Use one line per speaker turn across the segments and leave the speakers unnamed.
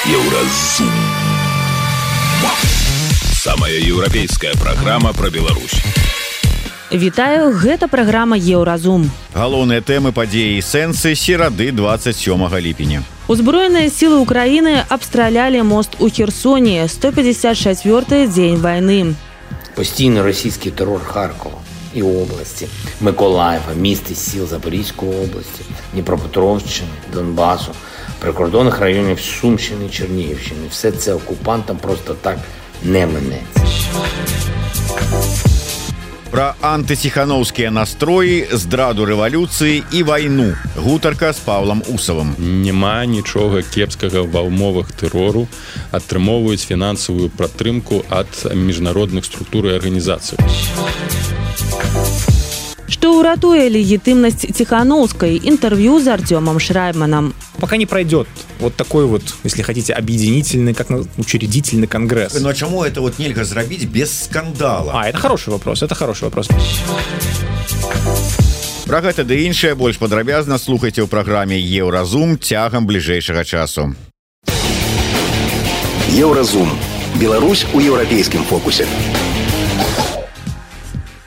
Еўразум. Самая еўрапейская праграма пра Беларусь.
Вітаю, гэта праграма Еўразум.
Галоўныя тэмы падзеі і сэнсы серады 27 ліпеня.
Узброеныя сілы Украіны абстралялі мост у Херсоне, 154-й дзень вайны.
Постійно російський терор Харкова і області, Миколаєва, міст і сіл Запорізької області, Дніпропетровщини, Донбасу, прикордонних районів Сумщини, Чернігівщини. Все це окупантам просто так не минеться.
Пра антыціханаўскія настроі, здраду рэвалюцыі і вайну. Гутарка з Павлам Усавым.
Няма нічога кепскага ва ўмовах тэрору. Атрымоўваюць фінансавую падтрымку ад міжнародных структур і арганізацый.
Что уратуе легитимность Тихановской? Интервью с Артемом Шрайбманом.
Пока не пройдет вот такой вот, если хотите, объединительный, как учредительный конгресс.
Но чему это вот нельзя сделать без скандала?
Это хороший вопрос,
Пра гэта ды іншае больш падрабязна слухайце ў праграме Еўразум цягам бліжэйшага часу.
Еўразум. Беларусь у еўрапейскім фокусе.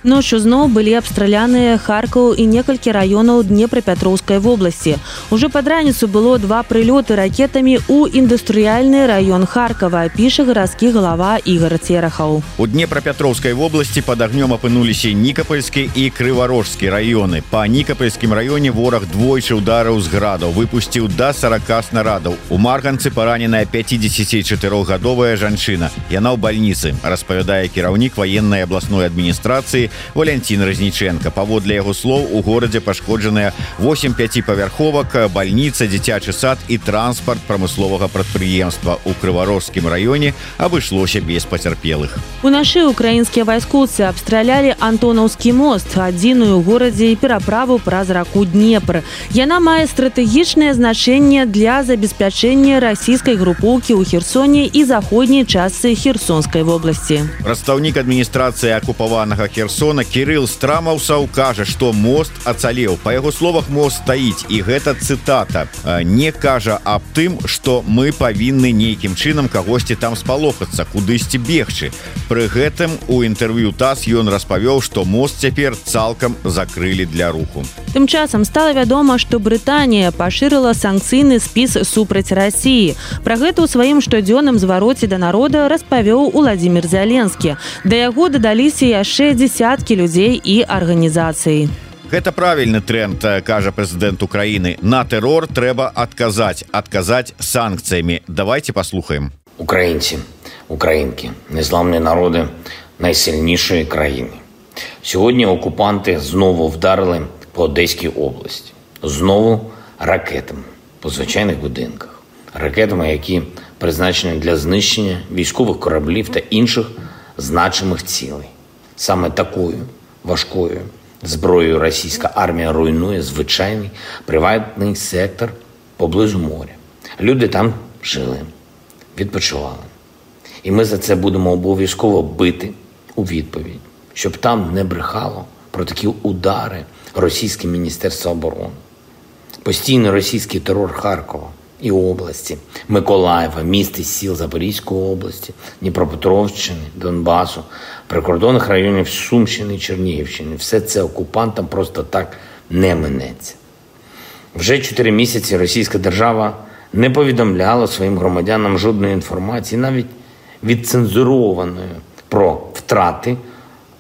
Ночью зноў былі абстраляныя Харкаў і некалькі раёнаў Днепрапетроўскай вобласці. Уже пад раніцу было 2 прылёты ракетамі ў індустрыяльны раён Харкава, піша гарадскі галава Ігор Церахаў.
У Днепрапетроўскай вобласці пад агнём апынуліся Нікапольскі і Крыварожскі раёны. Па Нікапольскім раёне вораг двойчы удараў з градаў, выпусціў да 40 снарадаў. У Марганцы параненая 54-гадовая жанчына. Яна ў бальніцы, распавядае кіраўнік ваеннай абласной адміністрацыі Валентин Разніченко. Паводле яго слоў, у горадзе пашкоджаныя 8 5-павярховак, бальніца, дзіцячы сад і транспарт прамысловага прадпрыемства. У Крыварожскім раёне абышлося без пацярпелых.
Уначы украінскія вайскоўцы абстралялі Антонаўскі мост, адзіную ў горадзе і пераправу праз раку Днепр. Яна мае стратэгічнае значэнне для забеспячэння расійскай групоўкі ў Херсоне і заходняй частцы Херсонскай вобласці.
Прадстаўнік адміністрацыі акупаванага Херсона Кірыл Страмаўсаў кажа, што мост ацалеў. Па яго словах, мост стаіць, і гэта цытата. Не кажа аб тым, што мы павінны нейкім чынам кагосьці там спалохацца, кудысьці бегчы. Пры гэтым у інтэрв'ю ТАСС ён распавёў, што мост цяпер цалкам закрылі для руху.
Тым часам стала вядома, што Брытанія пашырыла санкцыйны спіс супраць Расіі. Пра гэта ў сваім штодзённым звароце да народа распавёў Уладзімір Зеленскі. Да яго дадаліся яшчэ десяткі людзей і арганізацый.
Гэта правільны тренд, кажа прэзідэнт Украіны. На тэрор трэба адказаць санкцыямі. Давайте паслухаем.
Українці, українки, незламні народи найсильнішої країни. Сьогодні окупанти знову вдарили по Одеській області. Знову ракетами по звичайних будинках. Ракетами, які призначені для знищення військових кораблів та інших значимих цілей. Саме такою важкою зброєю російська армія руйнує звичайний приватний сектор поблизу моря. Люди там жили, відпочивали. І ми за це будемо обов'язково бити у відповідь, щоб там не брехало про такі удари російське Міністерство оборони. Постійно російський терор Харкова і області, Миколаєва, міст і сіл Запорізької області, Дніпропетровщини, Донбасу, прикордонних районів Сумщини і Чернігівщини. Все це окупантам просто так не минеться. Вже 4 місяці російська держава не повідомляла своїм громадянам жодної інформації, навіть відцензурованої, про втрати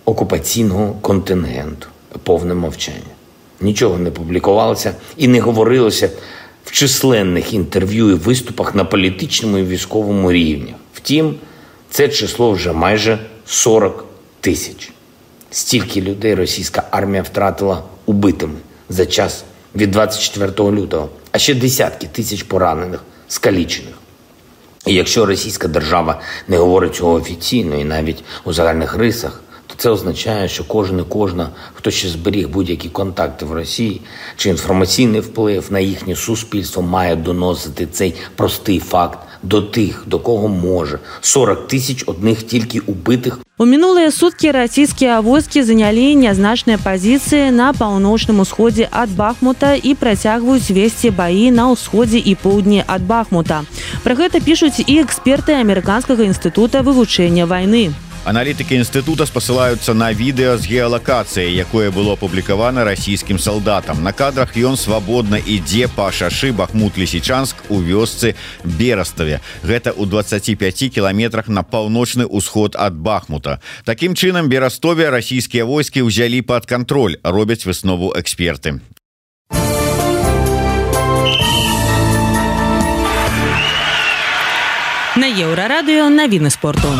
окупаційного контингенту. Повне мовчання. Нічого не публікувалося і не говорилося в численних інтерв'ю і виступах на політичному і військовому рівнях. Втім, це число вже майже 40 тисяч. Стільки людей російська армія втратила убитими за час від 24 лютого, а ще десятки тисяч поранених, скалічених. І якщо російська держава не говорить цього офіційно і навіть у загальних рисах, то це означає, що кожен і кожна, хто ще зберіг будь-які контакти в Росії чи інформаційний вплив на їхнє суспільство, має доносити цей простий факт до тих, до кого може. 40 тисяч одних тільки убитих
У мінулыя суткі расійскія войскі занялі нязначныя пазіцыі на паўночным усходзе ад Бахмута і працягваюць весці баі на ўсходзе і поўдні ад Бахмута. Пра гэта пішуць і эксперты Амерыканскага інстытута вывучэння вайны.
Аналітыкі інстытута спасылаюцца на відэа з геалакацыяй, якое было апублікавана расійскім салдатам. На кадрах ён свабодна ідзе па шашы Бахмут-Лісічанск у вёсцы Бераставе. Гэта ў 25 кіламетрах на паўночны ўсход ад Бахмута. Такім чынам, Берастове расійскія войскі ўзялі пад кантроль, робяць выснову эксперты.
На Еўрарадыё навіны спорту.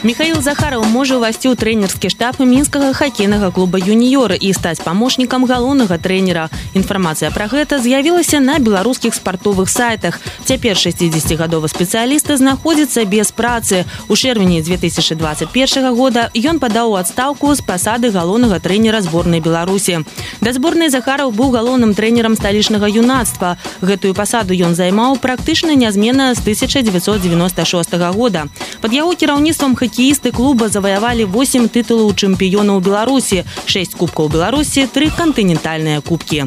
Михаил Захаров можа ўвайсці ў трэнерскі штаб мінскага хакейнага клуба «Юніёр» і стаць памочнікам галоўнага трэнера. Інфармацыя пра гэта з'явілася на беларускіх спартовых сайтах. Цяпер 60-гадовы спецыяліст знаходзіцца без працы. У чэрвені 2021 года ён падаў у адстаўку з пасады галоўнага трэнера зборнай Беларусі. Да зборнай Захаров быў галоўным трэнерам сталічнага юнацтва. Гэтую пасаду ён займаў практычна нязменна з 1996 года. Пад яго кіраўніцтвам хоккеисты клуба завоевали 8 титулов чемпионов Беларуси, 6 кубков Беларуси, 3 континентальные кубки.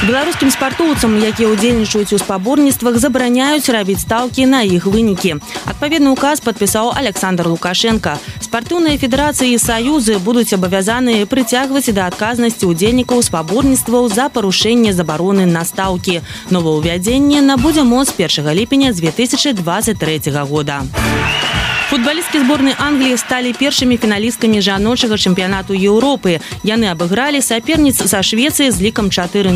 Беларускім спартоўцам, якія ўдзельнічаюць у спаборніцтвах, забараняюць рабіць стаўкі на іх вынікі. Адпаведны указ падпісаў Александр Лукашенко. Спартыўныя федэрацыі і саюзы будуць абавязаныя прыцягваць да адказнасці ўдзельнікаў спаборніцтваў за парушэнне забароны на стаўкі. Новаўвядзенне набудзе моц 1 ліпеня 2023 года. Футболісткі зборнай Англіі сталі першымі фіналісткамі жаночага чэмпіянату Еўропы. Яны абыгралі саперніц са Швецыі з лікам 4-0.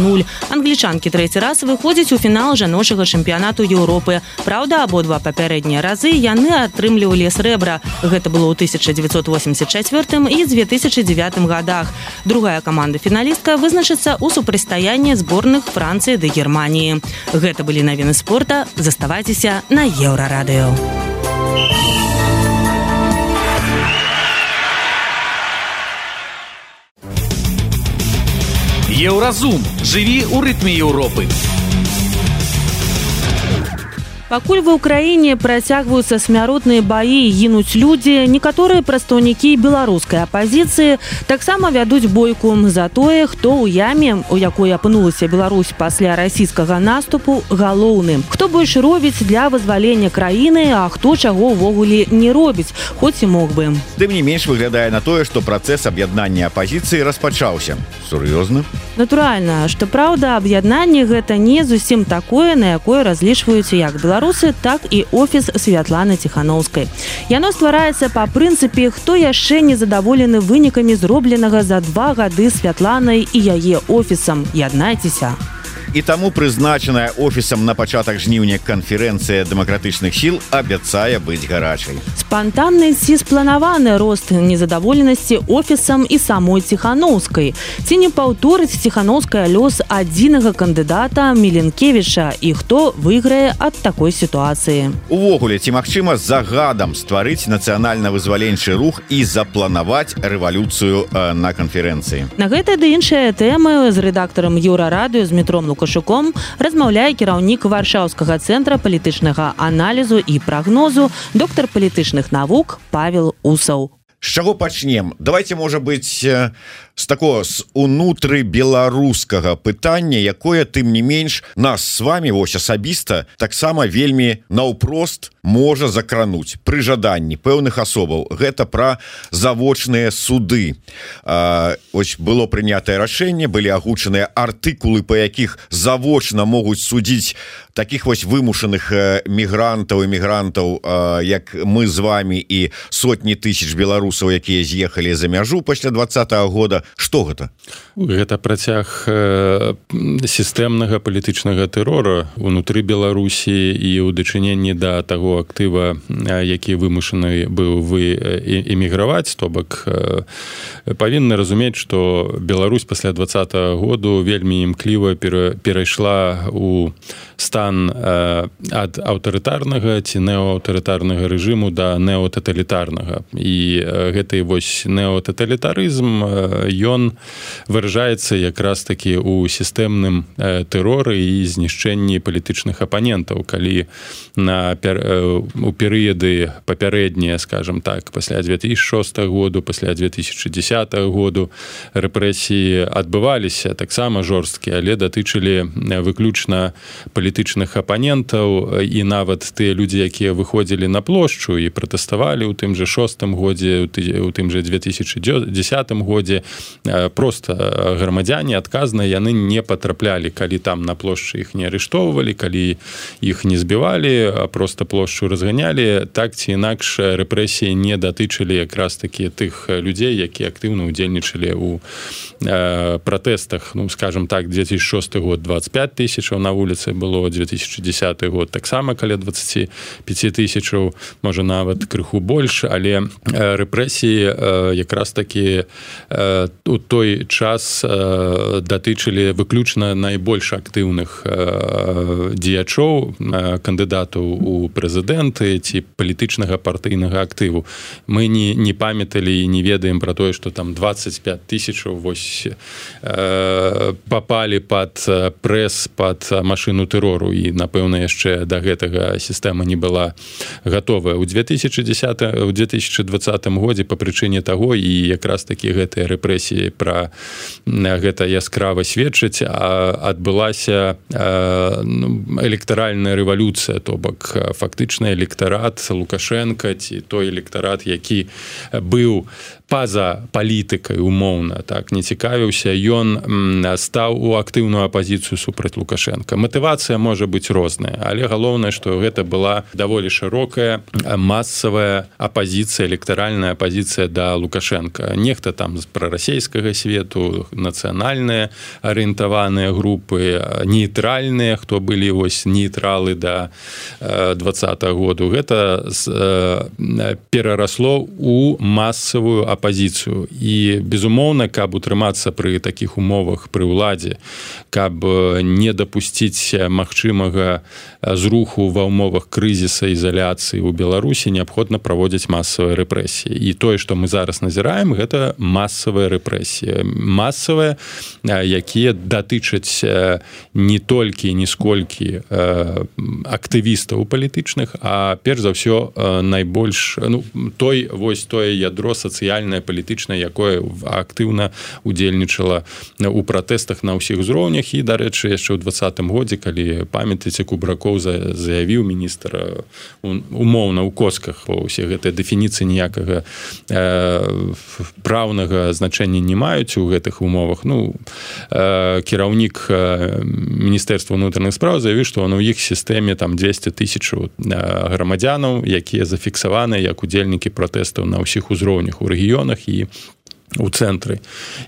Англічанкі трэці раз выходзяць у фінал жаночага чэмпіянату Еўропы. Праўда, абодва папярэднія разы яны атрымлівалі срэбра. Гэта было ў 1984 і 2009 годах. Другая каманда-фіналістка вызначыцца ў супрацьстаянні зборных Францыі ды Германіі. Гэта былі навіны спорта. Заставайцеся на Еўрарадыё.
Еўразум. Жыві ў рытме Еўропы.
Пакуль ва ўкраіне працягваюцца смяротныя баі і гінуць людзі, некаторыя прадстаўнікі беларускай апазіцыі таксама вядуць бойку за тое, хто ў яме, у якой апынулася Беларусь пасля расійскага наступу, галоўны. Хто больш робіць для вызвалення краіны, а хто чаго ўвогуле не робіць, хоць і мог бы.
Тым не менш выглядае на тое, што працэс аб'яднання апазіцыі распачаўся. Сур'ёзна?
Натуральна, што праўда, аб'яднанне гэта не зусім такое, на якое разлічваюць як беларусы, так і офіс Святланы Ціханаўскай. Яно ствараецца па прынцыпе, хто яшчэ не задаволены вынікамі зробленага за 2 гады Святланай і яе офісам. Яднайцеся.
І таму прызначаная офісам на пачатак жніўня канферэнцыя дэмакратычных сіл абяцае быць гарачай.
Спантанны ці спланаваны рост незадаволенасці офісам і самой Ціханаўскай. Ці не паўторыць Ціханаўская лёс адзінага кандыдата Міленкевіча і хто выйграе ад такой сітуацыі.
Увогуле, ці магчыма загадам стварыць нацыянальна-вызваленчы рух і запланаваць рэвалюцыю на канферэнцыі?
На гэтыя ды іншыя тэмы з рэдактарам Еўрарадыё з Дмітром Лукашуком размаўляе кіраўнік Варшаўскага цэнтра палітычнага аналізу і прагнозу, доктар палітычных навук Павел Усаў.
З чаго пачнем? Давайте, можа быць, з такого, з унутры беларускага пытання, якое, тым не менш, нас з вами, вось асабіста, таксама вельмі наўпрост можа закрануць пры жаданні пэўных асобаў. Гэта пра завочныя суды. Ось было прынятае рашэнне, былі агучаныя артыкулы, па якіх завочна могуць судзіць таких вось вымушаных мігрантаў і мігрантаў, як мы з вами і сотні тысяч беларусаў, якія з'ехалі за мяжу пасля 20-го года. Што гэта?
Гэта працяг сістэмнага палітычнага тэрора унутры Беларусі і ў дачыненні да таго актыва, які вымушаны быў эміграваць, то бок павінны разумець, што Беларусь пасля 20-го году вельмі імкліва перайшла ў стан ад аўтарытарнага ці неаўтарытарнага рэжыму да неотаталітарнага. І гэты вось неотаталітарызм ён выражаецца якраз таки у сістэмным тэроры і знішчэнні палітычных апанентаў, калі у перыяды папярэднія, скажем так, пасля 2006 году, пасля 2010 году рэпрэсіі адбываліся таксама жорсткія, але датычылі выключна палітычных апанентаў, і нават тыя людзі, якія выходзілі на плошчу і пратэставалі ў тым жа 6 годзе, у тым жа 2010 годзе, просто грамадзяне адказныя, яны не патраплялі, калі там на плошчы іх не арыштоўвалі, калі іх не збівалі, а просто плошчу разганялі. Так ці інакш рэпрэсіі не датычылі якраз такі тых людзей, якія актыўна ўдзельнічалі ў пратэстах. Ну, скажем так, 2006 год 25 тысячаў на вуліцы было, 2010 год таксама каля 25 тысячаў, можа нават крыху больш, але рэпрэсіі якраз такі у той час датычылі выключна найбольш актыўных дзеячоў, кандыдатаў у прэзідэнты ці палітычнага партыйнага актыву. Мы не памяталі і не ведаем пра тое, што там 25 тысячаў вось папалі пад прэс, пад машыну тэрору, і, напэўна, яшчэ да гэтага сістэма не была гатовая. У 2020 годзе па прычыне таго, і якраз такі гэтыя рэпрэсіі пра гэта яскрава сведчыць, адбылася электаральная рэвалюцыя, то бок фактычна электарат Лукашенка ці той электарат, які быў па-за палітыкай умоўна, так, не цікавіўся, ён стаў у актыўную апазіцыю супраць Лукашенка. Матывацыя можа быць розная, але галоўнае, што гэта была даволі шырокая масавая апазіцыя, электаральная апазіцыя да Лукашенка. Нехта там з прарасейскага свету, нацыянальныя арыентаваныя групы, нейтральныя, хто былі вось нейтралы да 20-го году. Гэта перарасло у масавую апазіцыю. І, безумоўна, каб утрымацца пры такіх умовах пры ўладзе, каб не дапусціць магчымага зруху ва ўмовах крызіса, ізаляцыі ў Беларусі, неабходна праводзіць масавыя рэпрэсіі. І тое, што мы зараз назіраем, гэта масавыя рэпрэсіі. Масавыя, якія датычаць не толькі, не сколькі актывістаў палітычных, а перш за ўсё найбольш, тое ядро сацыяльнае, палітычнае, якое актыўна удзельнічала у пратэстах на ўсіх узроўнях. І, дарэчы, яшчэ ў 20-м годзе, калі памятаеце, Кубракоў заявіў, міністр, умоўна ў косках, усе гэтыя дэфініцыі ніякага праўнага значэння не маюць у гэтых умовах. Кіраўнік Міністэрства ўнутраных спраў заявіў, што ў іх сістэме там 200 тысячаў грамадзянаў, якія зафіксаваныя як удзельнікі пратэстаў на ўсіх узроўнях у рэгіёнах і у цэнтры.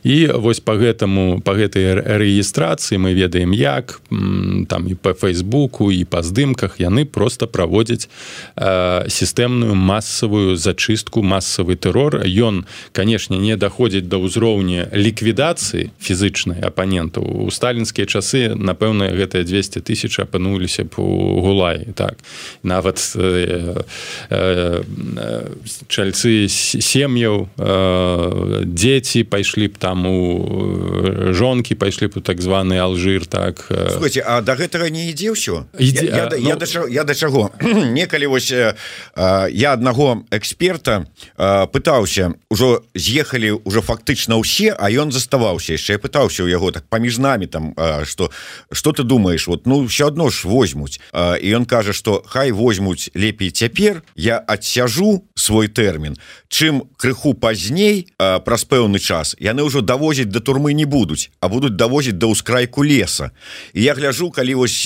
І вось па гэтай рэгістрацыі мы ведаем як, там і па Фейсбуку, і па здымках яны проста праводзяць сістэмную масавую зачыстку, масавы тэрор. Ён, канешне, не даходзіць да ўзроўня ліквідацыі фізычнай апанентаў. У сталінскія часы, напэўна, гэтыя 200 тысяч апынуліся б у Гулаі. Так. Нават чальцы сем'яў, дзеці пайшлі б там у жонкі, пайшлі б у так званы Алжир, так.
Слухайте, а да гэтага не ідзе ўсё? Я да чаго? Некалі вось я аднаго эксперта пытаўся, ужо з'ехалі ўжо фактычна ўсе, а ён заставаўся яшчэ. Я пытаўся ў яго так паміж намі там, што ты думаеш, вот, ўсё адно ж возьмуць. І ён кажа, што хай возьмуць лепей цяпер, я адсяжу свой тэрмін, чым крыху пазней, праз пэўны час, яны ўжо давозіць да турмы не будуць, а будуць давозіць да ўскрайку леса. І я гляджу, калі вось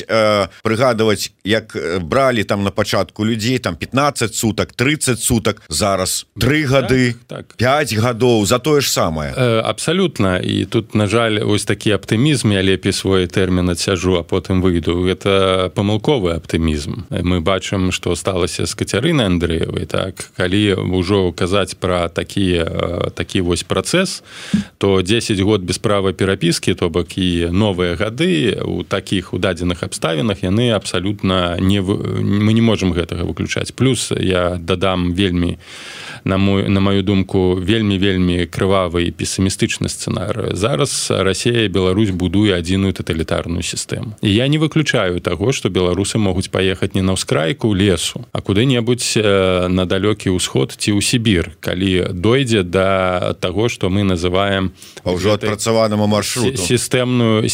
прыгадваць, як бралі там на пачатку людзей, там 15 сутак, 30 сутак, зараз 3 гады, 5 гадоў, за тое ж самае.
Абсалютна. І тут, на жаль, ось такі аптымізм, я лепей свой тэрмін адсяжу, а потым выйду. Гэта памылковы аптымізм. Мы бачым, што сталася з Кацярынай Андрэевай, так, калі ўжо казаць пра такі вось працэс, то 10 год без права перапіскі, то бок і новыя гады у такіх у дадзеных абставінах яны абсалютна мы не можам гэтага выключаць. Плюс я дадам вельмі на маю думку вельмі крывавы і пессімістычны сцэнар. Зараз Расія і Беларусь будуе адзіную таталітарную сістэму. І я не выключаю таго, што беларусы могуць паехаць не на ўскрайку лесу, а куды-небудзь на далёкі ўсход ці ў Сібір, калі дойдзе да таго, што мы называем
ўжо адпрацаванаму маршруту
сістэмную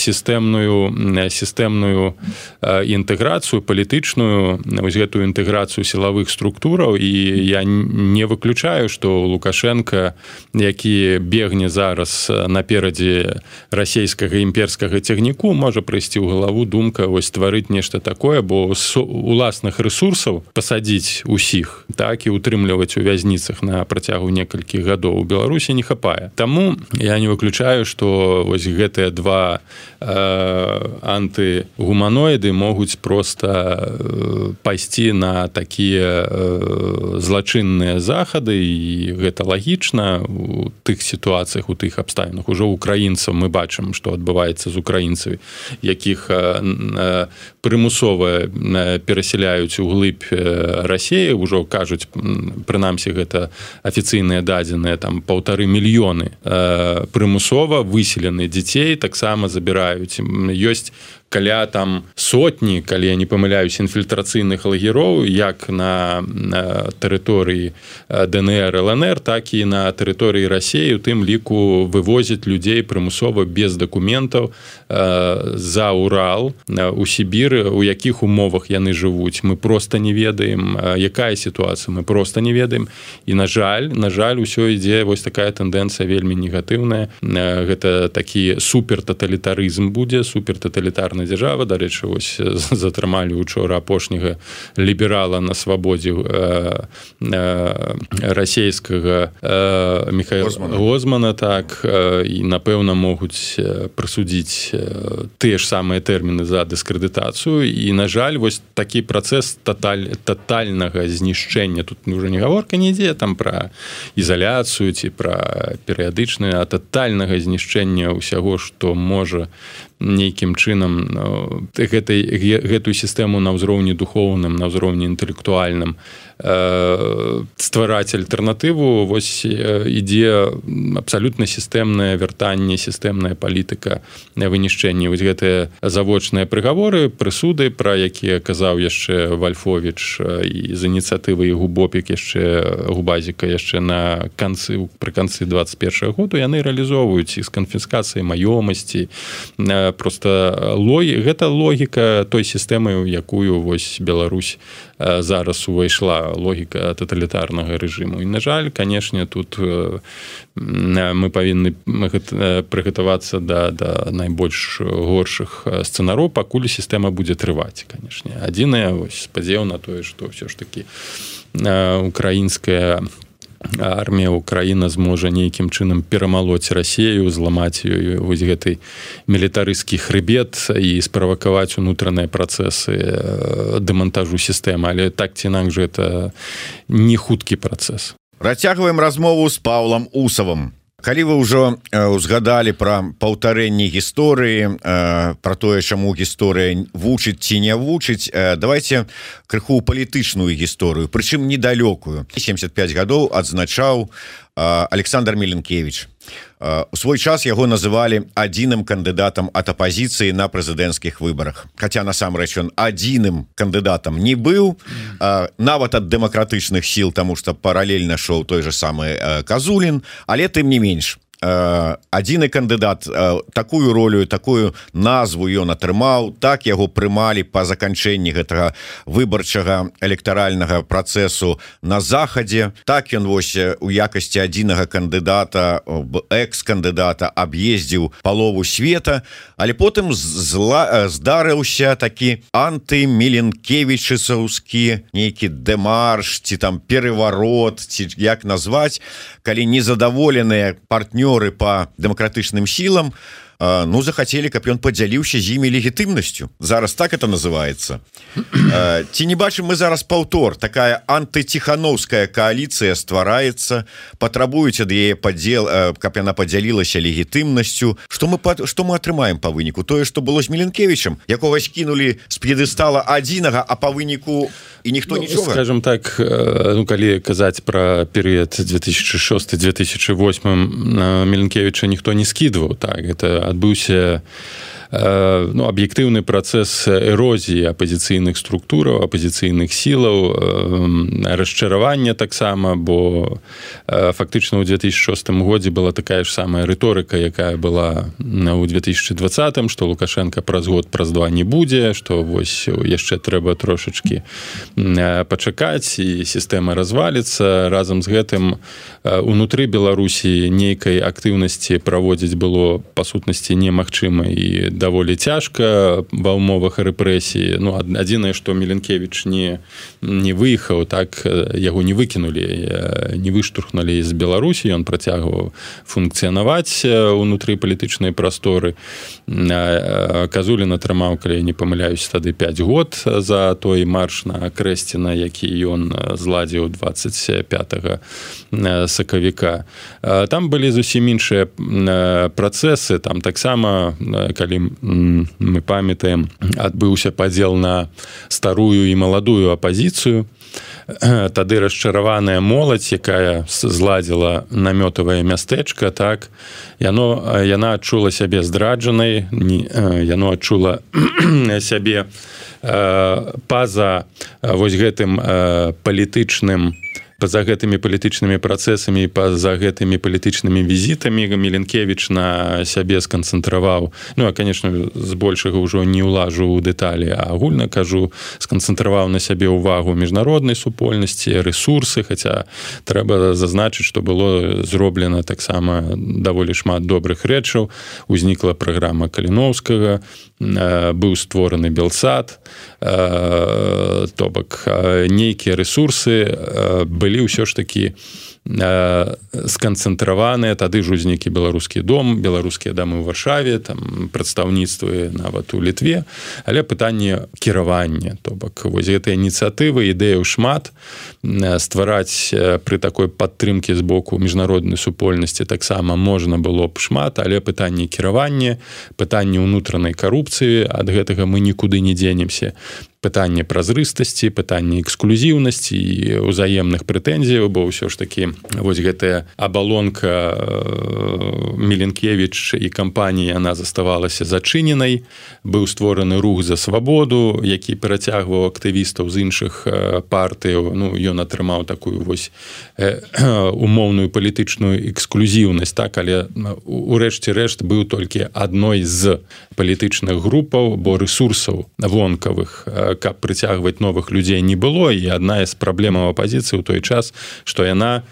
інтэграцыю палітычную, вось гэтую інтэграцыю сілавых структураў. І я не выключаю, што Лукашенко, які бегне зараз наперадзе расійскага імперскага цягніку, можа прыйсці ў галаву думка вось стварыць нешта такое, бо уласных ресурсаў пасадзіць усіх, так і утрымліваць у вязніцах на працягу некалькіх гадоў у Беларусі не хапае. Таму я не выключаю, што вось гэтыя два антыгуманоіды могуць проста пайсці на такія злачынныя захады, і гэта лагічна у тых сітуацыях, у тых абставінах. Ужо украінцаў мы бачым, што адбываецца з украінцамі, якіх прымусова перасяляюць у глыб Расіі, ужо кажуць, прынамсі гэта афіцыйныя дадзеныя, там 1,5 мільёны прымусова выселены дзяцей таксама забіраюць. Ёсць каля там сотні, калі я не памыляюсь, інфільтрацыйных лагероў, як на тэрыторыі ДНР, ЛНР, так і на тэрыторыі Расіі, у тым ліку вывозяць людзей прымусова без дакументаў за Урал, у Сібір, у якіх умовах яны жывуць. Мы проста не ведаем, якая сітуацыя, мы проста не ведаем. І на жаль, усё ідзе вось такая тэндэнцыя вельмі негатыўная. Гэта такі супертаталітарызм будзе, супертаталітарны дзяржава. Дарэчы, вось затрымалі учора апошняга ліберала на свабодзе расійскага Михаила Гозмана, так, і напэўна могуць прысудзіць тыя ж самыя тэрміны за дыскрэдытацыю. І на жаль, вось такі працэс татальнага знішчэння, тут ўжо не гаворка не ідзе там пра ізаляцыю ці пра перыядычнае, а татальнага знішчэння ўсяго, што можа нейкім чынам гэтую сістэму на ўзроўні духоўным, на ўзроўні інтэлектуальным ствараць альтэрнатыву. Вось ідзе абсалютна сістэмнае вяртанне, сістэмная палітыка вынішчэння. Вось гэтыя завочныя прыгаворы, прысуды, пра якія казаў яшчэ Вальфовіч і з ініцыятывы Губопік яшчэ Губазіка яшчэ пры канцы 21 году, яны рэалізоўваюць і з канфіскацыяй маёмасці. Проста гэта логіка той сістэмы, у якую вось Беларусь зараз увайшла, логіка таталітарнага рэжыму. І, на жаль, канешне, тут мы павінны прыгатавацца да найбольш горшых сцэнароў, пакуль сістэма будзе трываць, канешне. Адзінае, вось, спадзеў на тое, што ўсё ж такі украінская армія, Украіна зможа нейкім чынам перамалоць Расію, зламаць ёй вось гэты мілітарысцкі хрыбет і справакаваць унутраныя працэсы дэмантажу сістэмы. Але так ці інакш гэта не хуткі працэс.
Працягваем размову з Паўлам Усавым. Калі вы ўжо узгадалі пра паўтарэнні гісторыі, пра тое, чаму гісторыя вучыць ці не вучыць, давайте крыху палітычную гісторыю, прычым недалёкую. 75 гадоў адзначаў Александр Меленкевич. У свой час яго называлі адзіным кандыдатам ад апазіцыі на прэзідэнцкіх выбарах. Хаця насамрэч ён адзіным кандыдатам не быў, нават ад дэмакратычных сіл, таму што паралельна шоў той же самы Казулін, але тым не менш. Адзіны кандыдат, такую ролю, такую назву ён атрымаў, так яго прымалі па заканчэнні гэтага выбарчага электаральнага працэсу на захадзе. Так ён вось у якасці адзінага кандыдата, экс-кандыдата аб'ездзіў палову света, але потым здарыўся такі антымеленкевічысаўскі нейкі дэмарш, ці там пераварот, ці як назваць, калі незадаволеныя партнёры по дэмакратычным сілам захацелі, каб ён падзяліўся з імі легітымнасцю. Зараз так это называется. Ці не бачым мы зараз паўтор, такая антыціхановская коаліцыя ствараецца, патрабуюць ад яе падзел, каб яна падзялілася легітымнасцю. Што мы атрымаем па выніку? Тое, што было з Міленкевічем, якога скінулі з п'едэстала адзінага, а па выніку і ніхто нічога?
Скажем так, калі казаць пра перыяд 2006-2008 Міленкевіча ніхто не скідваў. Так, это адбыўся аб'ектыўны працэс эрозіі апазіцыйных структураў, апазіцыйных сілаў, расчаравання таксама, бо фактычна ў 2006 годзе была такая ж самая рыторыка, якая была ў 2020, што Лукашенко праз год, праз два не будзе, што вось яшчэ трэба трошачкі пачакаць і сістэма разваліцца. Разам з гэтым унутры Беларусі нейкай актыўнасці праводзіць было па сутнасці немагчыма і даволі цяжка ва ўмовах рэпрэсіі. Адзінае, што Міленкевіч не выехаў, так, яго не выкінулі, не выштурхнулі з Беларусі, ён працягваў функцыянаваць унутры палітычнай прасторы. Казулін атрымаў, калі я не памыляюсь, тады 5 год за той марш на Крэсціна, які ён зладзіў 25 сакавіка. Там былі зусім іншыя працэсы, там таксама, калі мы памятаем, адбыўся падзел на старую і маладую апазіцыю. Тады расчараваная моладзь, якая зладзіла намётавае мястэчка, так, яна адчула сябе здраджанай, яно адчула сябе па-за вось гэтым палітычным, па-за гэтымі палітычнымі працэсамі, па-за гэтымі палітычнымі візітамі Міленкевіч на сябе сканцэнтраваў. А, конечно, збольшага ўжо не ўлажу ў дэталі, а агульна кажу, сканцэнтраваў на сябе ўвагу міжнароднай супольнасці, рэсурсы, хаця трэба зазначыць, што было зроблена таксама даволі шмат добрых рэчаў. Узнікла праграма Каліноўскага, быў створаны Белсад, то бок нейкія рэсурсы былі ўсё ж такі сканцэнтраваныя. Тады ж узнікі беларускі дом, беларускія дамы ў Варшаве, там прадстаўніцтвы нават у Літве, але пытанне кіравання, то бок вось гэтыя ініцыятывы, ідэяў шмат, ствараць пры такой падтрымкі з боку міжнароднай супольнасці таксама можна было б шмат, але пытанне кіравання, пытанне ўнутранай карупцыі, ад гэтага мы нікуды не дзенемся. Пытанне празрыстасці, пытанне эксклюзіўнасці і ўзаемных прэтэнзіяў, бо ўсё ж такі вось гэтая абалонка Міленкевіч і кампанія, яна заставалася зачыненай. Быў створаны рух за свабоду, які перацягваў актывістаў з іншых партыяў. Ён атрымаў такую вось умоўную палітычную эксклюзіўнасць, так, але урэшце рэшт быў толькі адной з палітычных групаў, бо рэсурсаў вонкавых, каб прыцягваць новых людзей, не было. І адна з праблемаў апазіцыі ў той час, што яна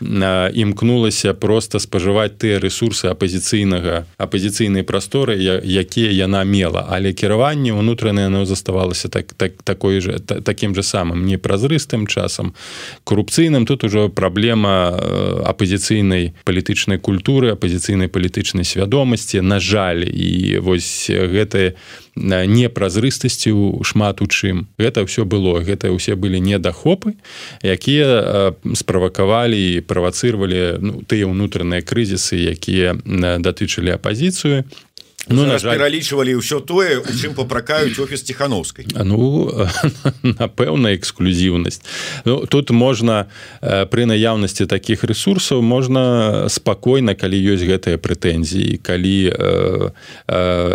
імкнулася проста спажываць тыя рэсурсы апазіцыйнай прасторы, якія яна мела. Але кіраванне ўнутранае, яно заставалася такім же самым, непразрыстым, часам корупцыйным. Тут ужо праблема апазіцыйнай палітычнай культуры, апазіцыйнай палітычнай свядомасці. На жаль, і вось гэтае непразрыстасцю шмат у чым. Гэта ўсё было. Гэта ўсе былі недахопы, якія справакавалі і правацыравалі тыя ўнутраныя крызісы, якія датычылі апазіцыю.
Пералічвалі ўсё тое, у чым папракаюць офіс Ціхановскай.
Напэўна, эксклюзіўнасць. Тут можна, пры наяўнасці такіх рэсурсаў, можна спакойна, калі ёсць гэтыя прэтэнзіі, калі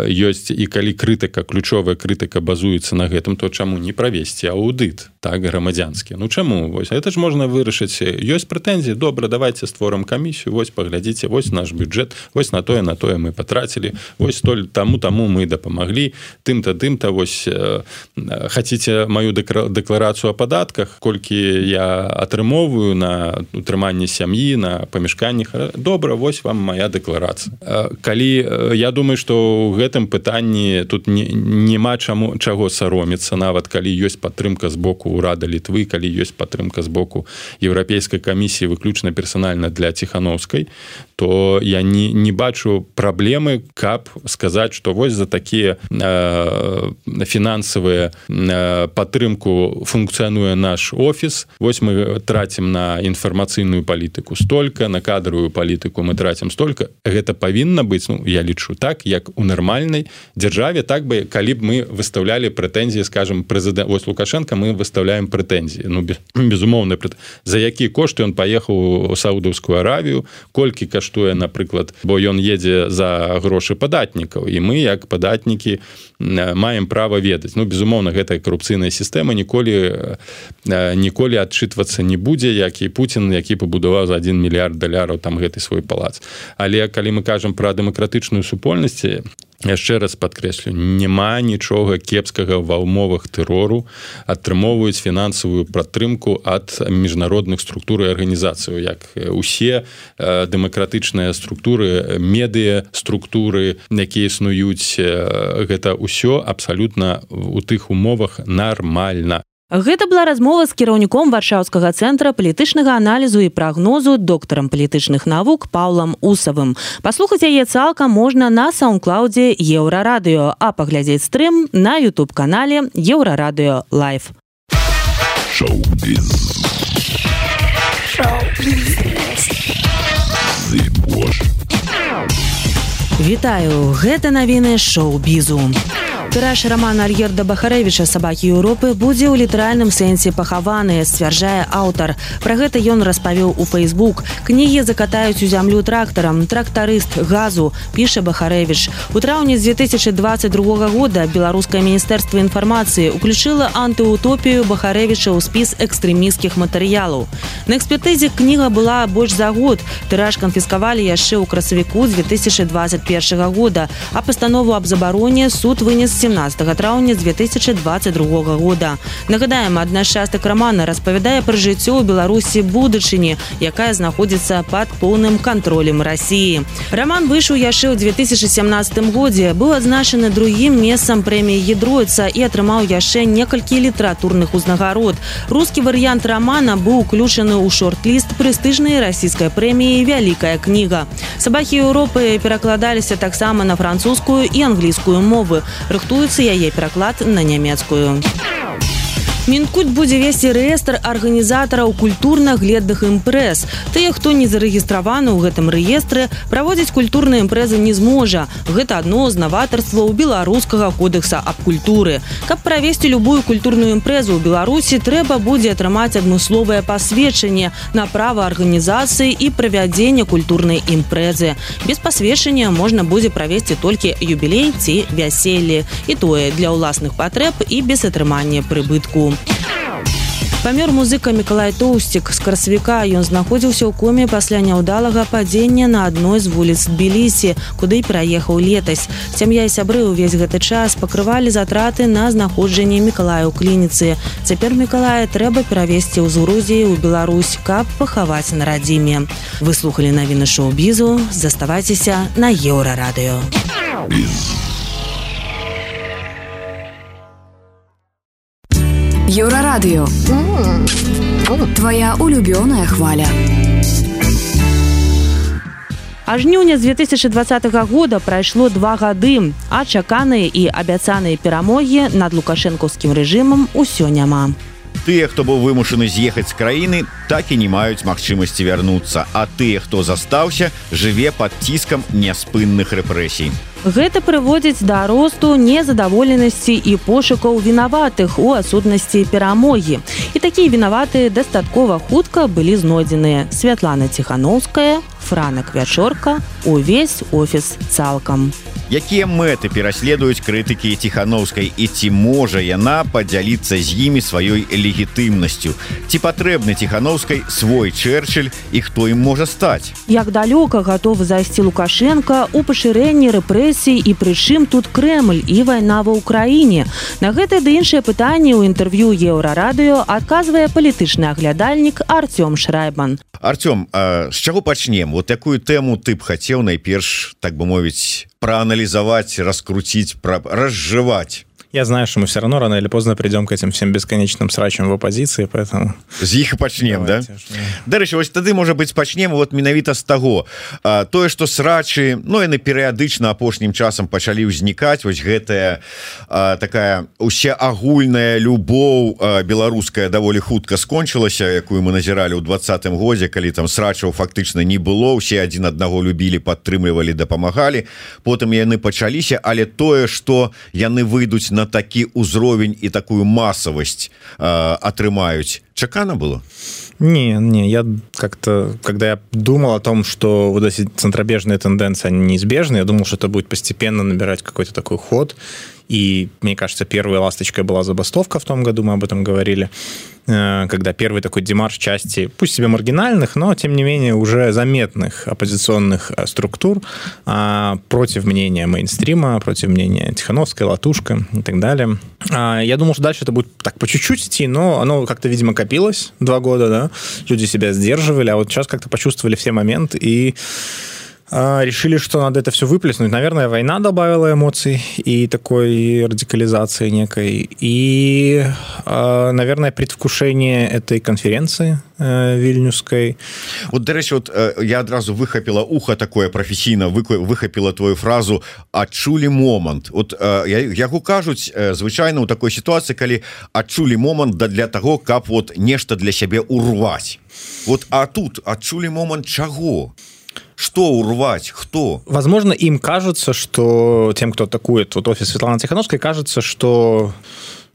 ёсць і калі крытыка, ключовая крытыка базуецца на гэтым, то чаму не правесці аўдыт, так, грамадзянскі? Чаму? Вось гэта ж можна вырашыць. Ёсць прэтэнзіі, добра, давайте створым камісію, вось паглядзіце, вось наш бюджэт, вось на тое мы патрацілі, вось таму мы дапамаглі, тым-то, вось хацеце маю дэкларацыю о падатках, колькі я атрымоўваю на утрыманне сям'і, на памяшканнях, добра, вось вам моя дэкларацыя. Калі, я думаю, што ў гэтым пытанні тут няма чаго саромецца, нават калі ёсць падтрымка з боку ўрада Літвы, калі ёсць падтрымка з боку еўрапейскай камісіі выключна персанальна для Ціханаўскай, то я не бачу праблемы, каб сказаць, што вось за такія фінансавыя падтрымку функцыянуе наш офіс, вось мы трацім на інфармацыйную палітыку столькі, на кадравую палітыку мы трацім столькі. Гэта павінна быць, я лічу так, як у нармальнай дзяржаве, так бы, калі б мы выставлялі прэтэнзіі, скажем, прэзідэнт, вось Лукашенко, мы выставляем прэтэнзіі. Безумоўна, за які кошт ён паехаў у Саудаўскую Аравію, колькі каштуе, напрыклад, бо ён едзе за грошы падатнікаў, і мы, як падатнікі, маем права ведаць. Безумоўна, гэтая карупцыйная сістэма ніколі адчытвацца не будзе, як і Путін, які пабудаваў за $1 мільярд там гэты свой палац. Але калі мы кажам пра дэмакратычную супольнасць, яшчэ раз падкрэслю, няма нічога кепскага ва ўмовах тэрору, атрымоўваюць фінансавую падтрымку ад міжнародных структур і арганізацыяў, як усе дэмакратычныя структуры, медыа структуры, якія існуюць, гэта ўсё абсалютна у тых умовах нармальна.
Гэта была размова з кіраўніком Варшаўскага цэнтра палітычнага аналізу і прагнозу, доктарам палітычных навук Паўлам Усавым. Паслухаць яе цалкам можна на саундклаудзе Еўрарадыё, а паглядзець стрым на YouTube-канале Еўрарадыё Лайв. Вітаю, гэта навіны шоу-бізу. Тыраж рамана Альгерда Бахарэвіча «Сабакі Еўропы» будзе ў літаральным сэнсе пахаваны, сцвярджае аўтар. Пра гэта ён распавёў у Facebook. Кнігі закатаюць у зямлю трактарам. Трактарыст газу, піша Бахарэвіч. У траўні з 2022 года Беларускае міністэрства інфармацыі ўключыла антыутопію Бахарэвіча ў спіс экстрэмісцкіх матэрыялаў. На экспертызе кніга была больш за год. Тыраж канфіскавалі яшчэ ў красавіку 2021 года, а пастанову аб забароне суд вынес 17 траўня 2022 года. Нагадаем, адна з частак рамана распавядае пра жыццё ў Беларусі будучыні, якая знаходзіцца пад поўным кантролем Расіі. Раман выйшаў яшчэ ў 2017 годзе, быў адзначаны другім месцам прэміі Гідройца і атрымаў яшчэ некалькі літаратурных узнагарод. Рускі варыянт рамана быў уключаны ў шорт-ліст прэстыжнай расійскай прэміі «Вялікая кніга». «Сабакі Еўропы» перакладаліся таксама на французскую і англійскую мовы. Рыхтуецца яе пераклад на нямецкую. Мінкульт будзе весці рэестр арганізатараў культурна-гледных імпрэз. Тыя, хто не зарэгістраваны ў гэтым рэестры, праводзіць культурныя імпрэзы не зможа. Гэта адно з наватарстваў беларускага кодэкса аб культуры. Каб правесці любую культурную імпрэзу ў Беларусі, трэба будзе атрымаць адмысловае пасведчанне на права арганізацыі і правядзення культурнай імпрэзы. Без пасведчання можна будзе правесці толькі юбілей ці вяселле. І тое для ўласных патрэб і без атрымання прыбытку. Памёр музыка Мікалай Тоўсцік з красавіка. Ён знаходзіўся ў коме пасля няўдалага падзення на адной з вуліц Тбілісі, куды пераехаў летась. Сям'я і сябры ўвесь гэты час пакрывалі затраты на знаходжанне Мікалая ў клініцы. Цяпер Мікалая трэба перавесці ў Грузіі ў Беларусь, каб пахаваць на радзіме. Вы слухалі навіны шоу-бізу. Заставайцеся на Еўрарадыё.
Еўрарадыё. Твоя улюбёная хваля.
А жніўня з 2020 года прайшло 2 гады, а чаканыя і абяцаныя перамогі над лукашэнкаўскім рэжымам усё няма.
Тыя, хто быў вымушаны з'ехаць з краіны, так і не маюць магчымасці вярнуцца, а тыя, хто застаўся, жыве пад ціскам няспынных рэпрэсій.
Гэта прыводзіць да росту незадаволенасці і пошукаў вінаватых у адсутнасці перамогі. І такія вінаватыя дастаткова хутка былі знойдзеныя. Святлана Ціханаўская, Франак Вячорка, увесь офіс цалкам.
Якія мэты пераследуюць крытыкі Ціханаўскай і ці можа яна падзяліцца з імі сваёй легітымнасцю? Ці патрэбны Ціханаўскай свой Чэрчыль і хто ім можа стаць?
Як далёка гатовы зайсці Лукашенка ў пашырэнні рэпрэсій і прычым тут Крэмль і вайна ва ўкраіне? На гэтае ды іншыя пытанні ў інтэрв'ю Еўрарадыё адказвае палітычны аглядальнік Артём Шрайбан.
Артём, з чаго пачнем? Вот якую тэму ты б хацеў найперш, так бы мовіць, прааналізаваць, раскруціць, разжываць?
Я знаю, что мы все равно рано или поздно придем к этим всем бесконечным срачам в оппозиции, поэтому...
З іх і пачнем, да? Дарэчы, вось тады, можа быць, пачнем вот менавіта з таго. Тое, што срачы, ну, яны перыядычна апошнім часам пачалі ўзнікаць, вось гэтая такая усеагульная любоў беларуская даволі хутка скончылася, якую мы назіралі ў 20-м годзе, калі там срачаў фактычна не было, усе адзін аднаго любілі, падтрымлівалі, дапамагалі. Потым яны пачаліся, але тое, што яны выйдуць на такі ўзровень і такую масавасць атрымаюць, чакана было?
Не, я как-то, когда я думал о том, что вот эти центробежные тенденции, они неизбежны, я думал, что это будет постепенно набирать какой-то такой ход, и, мне кажется, первой ласточкой была забастовка в том году, мы об этом говорили, когда первый такой демарш части, пусть себе маргинальных, но, тем не менее, уже заметных оппозиционных структур против мнения мейнстрима, против мнения Тихановской, Латушко и так далее. Я думал, что дальше это будет так по чуть-чуть идти, но оно как-то, видимо, копилось 2 года, да, люди себя сдерживали, а вот сейчас как-то почувствовали все моменты и решили, что надо это все выплеснуть. Наверное, война добавила эмоций и такой радикализации некой. И, наверное, предвкушение этой конференции вильнюсской.
Вот, дарэчы, вот я адразу выхапіла ухо такое професійна, выхапіла твою фразу «адчулі момант». Вот яго кажуць звычайна ў такой сітуацыі, калі адчулі момант для таго, каб вот нешта для сябе урваць. Вот, а тут адчулі момант чаго? Что урвать? Кто?
Возможно, им кажется, что тем, кто атакует вот офис Светланы Тихановской, кажется, что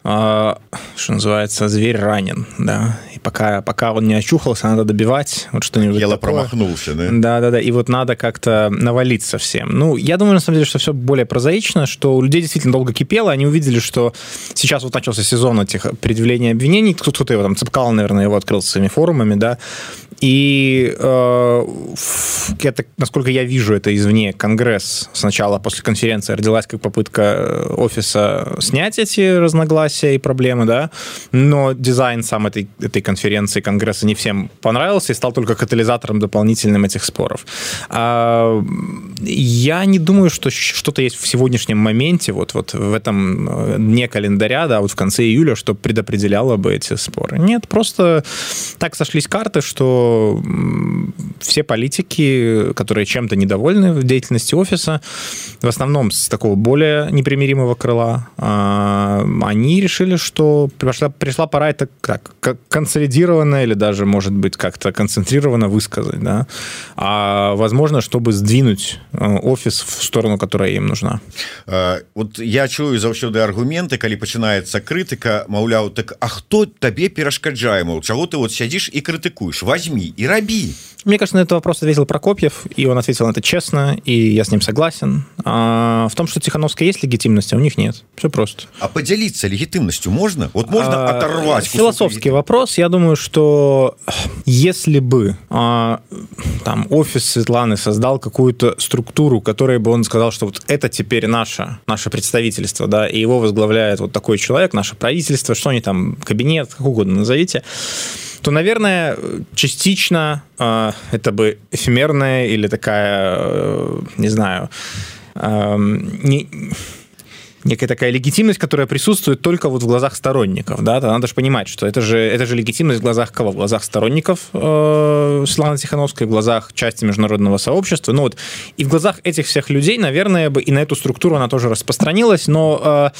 называется, зверь ранен, да, и пока он не очухался, надо добивать, вот что-нибудь
Ело
такое.
Промахнулся, да?
Да, и вот надо как-то навалиться всем. Ну, я думаю, на самом деле, что все более прозаично, что у людей действительно долго кипело, они увидели, что сейчас вот начался сезон этих предъявлений обвинений, кто-то его там, Цепкало, наверное, его открыл своими форумами, да, и это, насколько я вижу это извне, Конгресс сначала после конференции родилась как попытка офиса снять эти разногласия и проблемы, да, но дизайн сам этой конференции Конгресса не всем понравился и стал только катализатором дополнительным этих споров. Я не думаю, что что-то есть в сегодняшнем моменте, вот в этом дне календаря, да, вот в конце июля, что предопределяло бы эти споры. Нет, просто так сошлись карты, что все политики, которые чем-то недовольны в деятельности офиса, в основном с такого более непримиримого крыла, они решили, что пришла пора это как консолидированно или даже, может быть, как-то концентрированно высказать, да, возможно, чтобы сдвинуть офис в сторону, которая им нужна.
Вот я чую заўсёды аргументы, калі пачынаецца крытыка, маўляў, так а хто табе перашкаджае, мол, чаго ты вот сядзіш і крытыкуеш, возьми и раби.
Мне кажется, на этот вопрос ответил Прокопьев, и он ответил на это честно, и я с ним согласен. В том, что Тихановская есть легитимность, а у них нет. Все просто.
А поделиться легитимностью можно? Вот можно оторвать?
Философский вопрос. Я думаю, что если бы там офис Светланы создал какую-то структуру, которой бы он сказал, что вот это теперь наше представительство, да, и его возглавляет вот такой человек, наше правительство, что они там, кабинет, как угодно назовите, то, наверное, частично это бы эфемерная или такая, не знаю, некая такая легитимность, которая присутствует только вот в глазах сторонников, да, надо же понимать, что это же легитимность в глазах кого? В глазах сторонников Светланы Тихановской, в глазах части международного сообщества, ну вот, и в глазах этих всех людей, наверное, бы и на эту структуру она тоже распространилась, но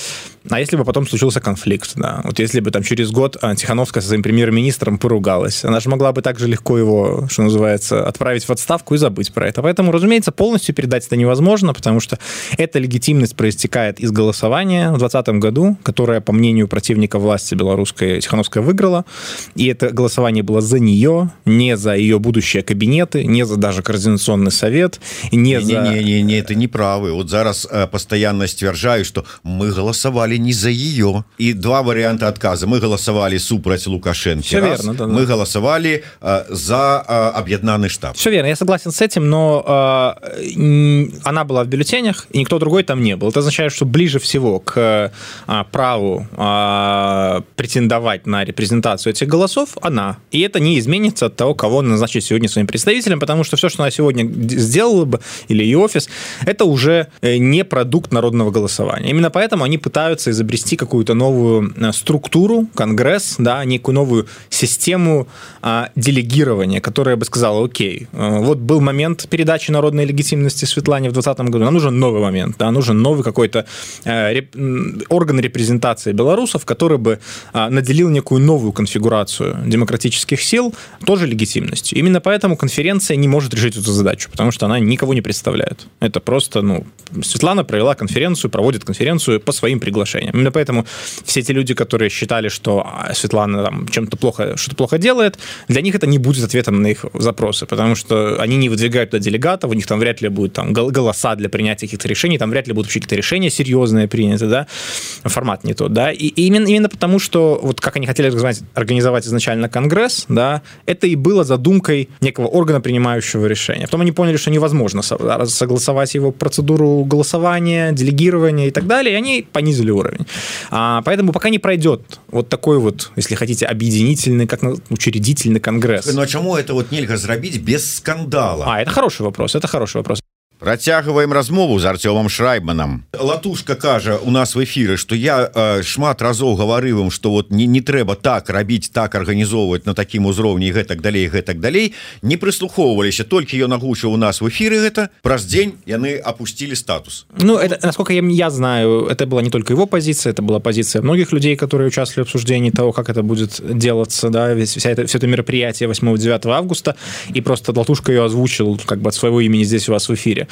а если бы потом случился конфликт, да, вот если бы там через год Тихановская со своим премьер-министром поругалась, она же могла бы так же легко его, что называется, отправить в отставку и забыть про это. Поэтому, разумеется, полностью передать это невозможно, потому что эта легитимность проистекает из голосования в 2020 году, которое, по мнению противника власти белорусской, Тихановская выиграла, и это голосование было за нее, не за ее будущие кабинеты, не за даже координационный совет, не за...
Не, это неправы. Вот зараз постоянно стверждаю, что мы голосовали не за ее. И два варианта отказа. Мы голосовали супраць Лукашенко.
Все верно, да.
Мы голосовали за объединенный штаб.
Все верно, я согласен с этим, но она была в бюллетенях, и никто другой там не был. Это означает, что ближе ближе всего к праву претендовать на репрезентацию этих голосов, она. И это не изменится от того, кого назначить сегодня своим представителем, потому что все, что она сегодня сделала бы, или ее офис, это уже не продукт народного голосования. Именно поэтому они пытаются изобрести какую-то новую структуру, конгресс, да, некую новую систему делегирования, которая бы сказала: окей, вот был момент передачи народной легитимности Светлане в 2020 году, нам нужен новый момент, да, нужен новый какой-то орган репрезентации белорусов, который бы наделил некую новую конфигурацию демократических сил тоже легитимностью. Именно поэтому конференция не может решить эту задачу, потому что она никого не представляет. Это просто, Светлана проводит конференцию по своим приглашениям. Именно поэтому все те люди, которые считали, что Светлана там что-то плохо делает, для них это не будет ответом на их запросы, потому что они не выдвигают туда делегатов, у них там вряд ли будут там голоса для принятия каких-то решений, там вряд ли будут вообще какие-то решения серьезные приняты, да, формат не тот, да, и именно потому, что вот как они хотели организовать изначально конгресс, да, это и было задумкой некого органа, принимающего решения. Потом они поняли, что невозможно согласовать его процедуру голосования, делегирования и так далее, и они понизили уровень. Поэтому пока не пройдет вот такой вот, если хотите, объединительный, как учредительный конгресс.
Но чему это вот нельзя сделать без скандала?
Это хороший вопрос.
Працягваем размову з Артёмом Шрайбманам. Латушка кажа у нас в эфіры, што я шмат разоў гаварыў ім, што вот не трэба так рабіць, так арганізоўваць на такім узроўні і гэтак далей. Не прыслухоўваліся, толькі ён агучыў у нас в эфіры гэта, праз дзень яны опустили статус.
Это, насколько я знаю, это была не только его позиция, это была позиция многих людей, которые участвовали в обсуждении того, как это будет делаться, да, все это мероприятие 8-9 августа, и просто Латушка ее озвучил как бы от своего имени здесь у вас в эфире.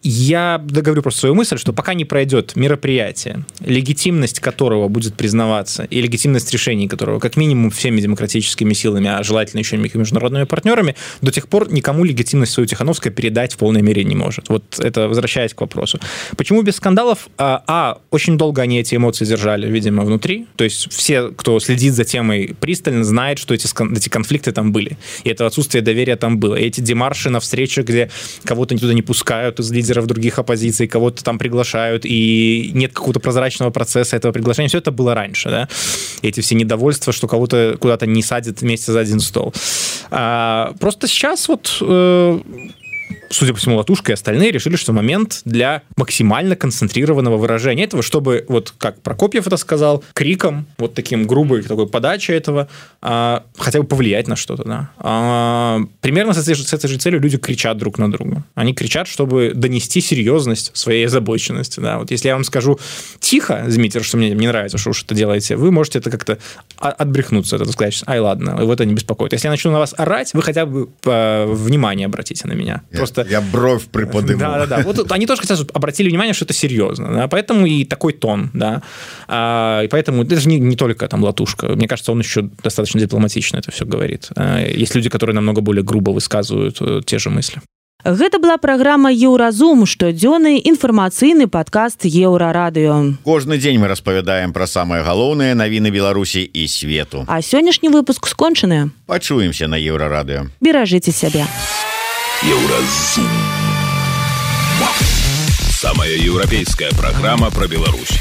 Я договорю просто свою мысль, что пока не пройдет мероприятие, легитимность которого будет признаваться, и легитимность решений которого, как минимум, всеми демократическими силами, а желательно еще и международными партнерами, до тех пор никому легитимность свою Тихановская передать в полной мере не может. Вот это возвращаясь к вопросу. Почему без скандалов? Очень долго они эти эмоции держали, видимо, внутри. То есть все, кто следит за темой пристально, знает, что эти конфликты там были. И это отсутствие доверия там было. И эти демарши на встречах, где кого-то туда не пускают из лидеров других оппозиций, кого-то там приглашают, и нет какого-то прозрачного процесса этого приглашения. Все это было раньше, да? Эти все недовольства, что кого-то куда-то не садят вместе за один стол. Просто сейчас судя по всему, Латушка и остальные решили, что момент для максимально концентрированного выражения этого, чтобы, вот как Прокопьев это сказал, криком, вот таким грубой такой подачей этого, хотя бы повлиять на что-то. Да? Примерно с этой же целью люди кричат друг на друга. Они кричат, чтобы донести серьезность своей озабоченности. Да? Вот если я вам скажу тихо, Дмитрий, что мне не нравится, что вы что-то делаете, вы можете это как-то отбрехнуться, это сказать, ладно, его это не беспокоит. Если я начну на вас орать, вы хотя бы внимание обратите на меня. Просто...
Я бровь приподниму.
Да. Вот они тоже, кстати, обратили внимание, что это серьезно. Да? Поэтому и такой тон. Да? И поэтому это же не только там Латушка. Мне кажется, он еще достаточно дипломатично это все говорит. Есть люди, которые намного более грубо высказывают те же мысли.
Гэта была праграма «Еўразум», штодзённы інфармацыйны падкаст Еўрарадыё.
Кожны дзень мы распавядаем пра самыя галоўныя навіны Беларусі і свету.
А сённяшні выпуск скончаны.
Пачуемся на Еўрарадыё.
Беражыце сябе.
Еўразум. Самая еўрапейская праграма пра Беларусь.